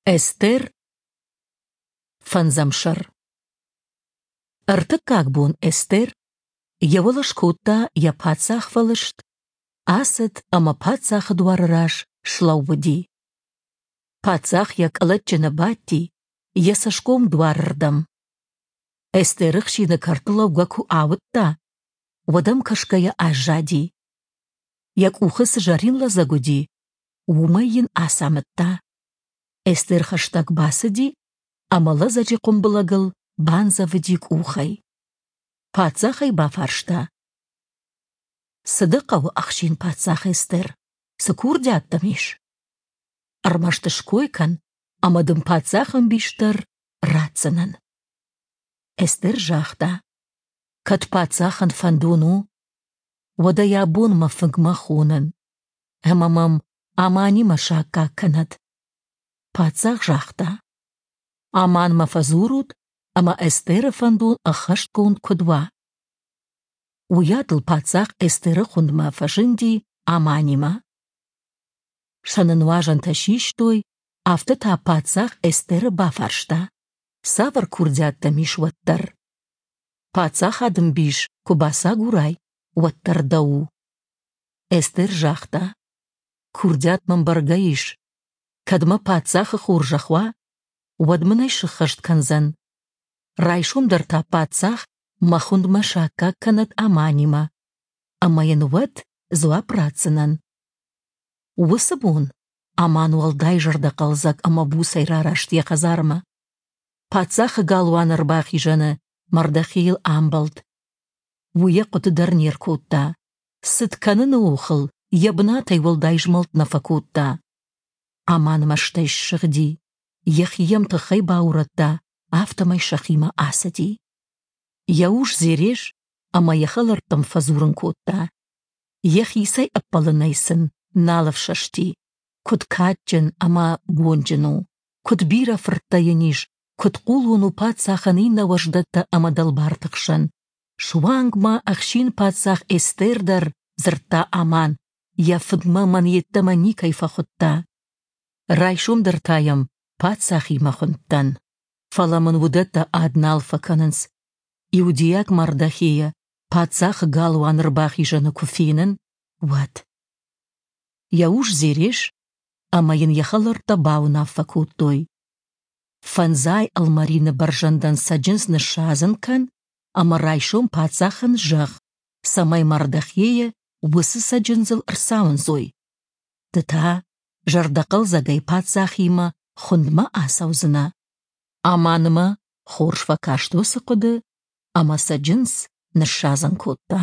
Эстер, фӕндзӕм сӕр. Ӕртыккаг бон Эстер йӕ уӕлӕ скодта йӕ паддзахвӕлыст, ацыд ӕмӕ паддзахы дуары раз слӕууыди. Паддзах йӕ къӕлӕтджыны бадти, йӕ цӕсгом дуарырдӕм. Эстеры хсины кӕрты лӕугӕ куы ауыдта, уӕд ӕм кӕсгӕйӕ аззади. Йӕ къухы цы зӕрин лӕдзӕг уыди, уымӕй йын ацамыдта. Эстер хӕстӕг бацыди ӕмӕ лӕдзӕджы хъуымбылӕгыл бандзӕвыди къухӕй. Паддзах ӕй бафарста: «Цы дӕ хъӕуы, ӕхсин паддзах Эстер? Цы курдиат дӕм ис? Ӕрмӕст ской кӕн, ӕмӕ дын паддзах ӕмбис дӕр ратдзынӕн». Эстер загъта: «Кӕд паддзахӕн фӕндон у, уӕд ӕй абон мӕ фынгмӕ хонын, ӕмӕ мӕм Аманимӕ саккаг кӕнӕд». Паддзах загъта: «Аманмӕ фӕдзурут, ӕмӕ Эстеры фӕндон ӕххӕстгонд куыд уа». Уыйадыл паддзах Эстеры хуындмӕ фӕзынди Аманимӕ. Сӕны нуазӕнтӕ систой, афтӕ та паддзах Эстеры бафарста: «Цавӕр курдиат дӕм ис уӕддӕр? Паддзахады ӕмбис куы бацагурай, уӕддӕр дӕу у». Эстер загъта: «Курдиат мӕм бӕргӕ ис. Кӕд мӕ паддзахы хорзӕх уа, уӕд мын ӕй сыххӕст кӕндзӕн. Райсом дӕр та паддзах мӕ хуындмӕ саккаг кӕнӕд Аманимӕ, ӕмӕ йын уӕд дзуапп ратдзынӕн». Уыцы бон Аман уӕлдай зӕрдӕхъӕлдзӕг ӕмӕ буцӕй рараст йӕ хӕдзармӕ. Паддзахы галуаны ӕрбахизӕны Мардохейыл амбӕлд. Уый йӕ хъуыды дӕр не ркодта, цыт кӕныны охыл йӕ бынатӕй уӕлдай змӕлд нӕ фӕкодта. Аман мӕстӕй ссыгъди, йӕхи йӕм тыххӕй баурӕдта, афтӕмӕй сӕхимӕ ацыди. Йӕ ус Зереш ӕмӕ йӕ хӕлӕрттӕм фӕдзурын кодта. Йӕхицӕй ӕппӕлынӕй сын нал ӕфсӕсти, куыд кадджын ӕмӕ бонджын у, куыд бирӕ фырттӕ йын ис, куыд хъулон у паддзахӕн иннӕ уӕздӕттӕ ӕмӕ дӕлбарты хсӕн. Суанг ма ӕхсин-паддзах Эстер дӕр дзырдта Аман, йӕ фыдмӕ мӕн йеддӕмӕ никӕй фӕхуыдта. Райсом дӕр та йӕм паддзахимӕ хуындтӕн. Фӕлӕ мын уыдӕттӕ ад нал фӕкӕнынц. Иудейаг Мардохейы паддзахы галуаны ӕрбахизӕны куы фенын, уӕд. Йӕ ус Зереш ӕмӕ йын йӕ хӕлӕрттӕ бауынаффӕ кодтой: Фӕндзай ӕлмӕрины бӕрзӕндӕн цӕджындз ныссадзын кӕн ӕмӕ райсом паддзахӕн зӕгъ, цӕмӕй Мардохейы уыцы цӕджындзыл ӕрцауындзой. Ды та зӕрдӕхъӕлдзӕгӕй паддзахимӕ хуындмӕ ацӕудзынӕ. Аманмӕ хорз фӕкаст уыцы хъуыды ӕмӕ цӕджындз ныссадзын кодта.